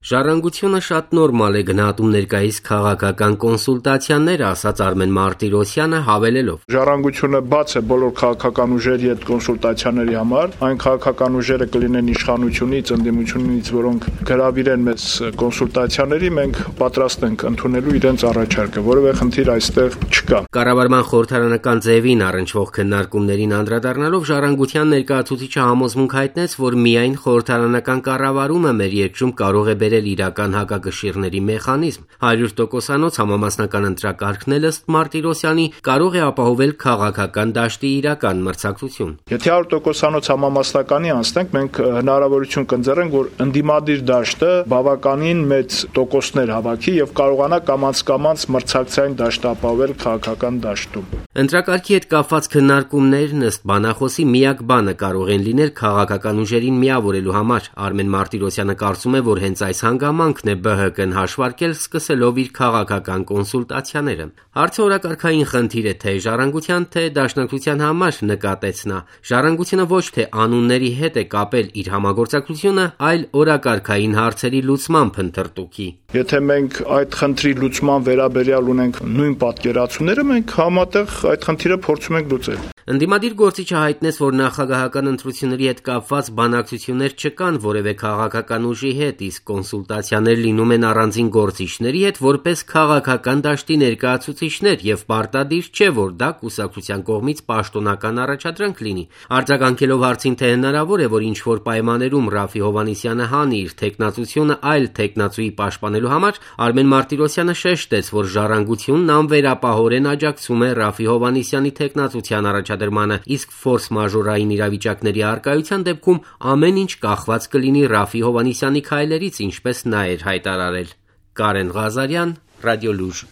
Ժառանգությունը շատ նորմալ է գնահատում ներկայիս քաղաքական կոնսուլտացիաները, ասաց Արմեն Մարտիրոսյանը, հավելելով. Ժառանգությունը բաց է բոլոր քաղաքական ուժերի հետ կոնսուլտացիաների համար, այն քաղաքական ուժերը կլինեն իշխանությունից, ընդդիմությունից, որոնք գրավիրեն մեզ կոնսուլտացիաների, մենք պատրաստ ենք ընդունելու իրենց առաջարկը, որևէ խնդիր այստեղ չկա։ Կառավարման խորհրդարանական ձևին առնչվող քննարկումներին անդրադառնալով Ժառանգության ներկայացուցիչը համոզմունք հայտնեց, որ միայն խորհրդարանական կառավարումը մեր երկրում կարող է բերել իրական հակակշիռների մեխանիզմ։ 100%-անոց համամասնական ընտրակարգն էլ ըստ Մարտիրոսյանի կարող է ապահովել քաղաքական դաշտի իրական մրցակցություն։ Եթե 100%-անոց համամասնականի անցնենք, մենք հնարավորություն կընձեռենք, որ ընդդիմադիր դաշտը բավականին մեծ տոկոսներ հավաքի եւ կարողանա կամաց մրցակցային դաշտ ապահովել քաղաքական դաշտում։ Ընտրակարգի հետ կապված քննարկումներն ըստ բանախոսի միակ բանը կարող են լինել քաղաքական ուժերին միավորելու համար։ Արմեն Մարտիրոսյանը կարծում է, որ հենց այս հանգամանքն է ԲՀԿ-ն հաշվարկել սկսելով իր քաղաքական կոնսուլտացիաները։ Հարցը օրակարգային խնդիր է թե Ժառանգության, թե Դաշնակցության համար, նկատեց նա։ Ժառանգությունը ոչ թե անունների հետ է կապել իր համագործակցությունը, այլ օրակարգային հարցերի լուծման փնտրտուքի։ Եթե մենք այդ խնդրի լուծման վերաբերյալ ունենք նույն պատկերացումները, մենք համատեղ այդ խնդիրը փորձում ենք լուծել։ Ընդդիմադիր գործիչը հայտնեց, որ նախագահական ընտրությունների հետ կապված բանակցություններ չկան որևէ քաղաքական ուժի հետ, իսկ կոնսուլտացիաներ լինում են առանձին գործիչների հետ որպես քաղաքական դաշտի ներկայացուցիչներ եւ պարտադիր չէ, որ դա կուսակցության կողմից պաշտոնական առաջադրանք լինի։ Արձագանքելով հարցին, թե հնարավոր է, որ ինչ-որ պայմաններում Ռաֆի Հովհաննիսյանը հանի իր թեկնածությունը այլ թեկնածուի պաշտպանելու համար, Արմեն Մարտիրոսյանը շեշտեց, որ Ժառանգությունն անվերապահորեն աջակցում է Ռաֆի Հովհաննիսյանի թեկնածության առաջադրմանը, իսկ ֆորս մաժորային իրավիճակների առկայության դեպքում ամեն ինչ կախված կլինի Ռաֆի Հովհաննիսյանի քայլերից, ինչպես նա էր հայտարարել։ Կարեն Ղազարյան, Ռադիոլուր։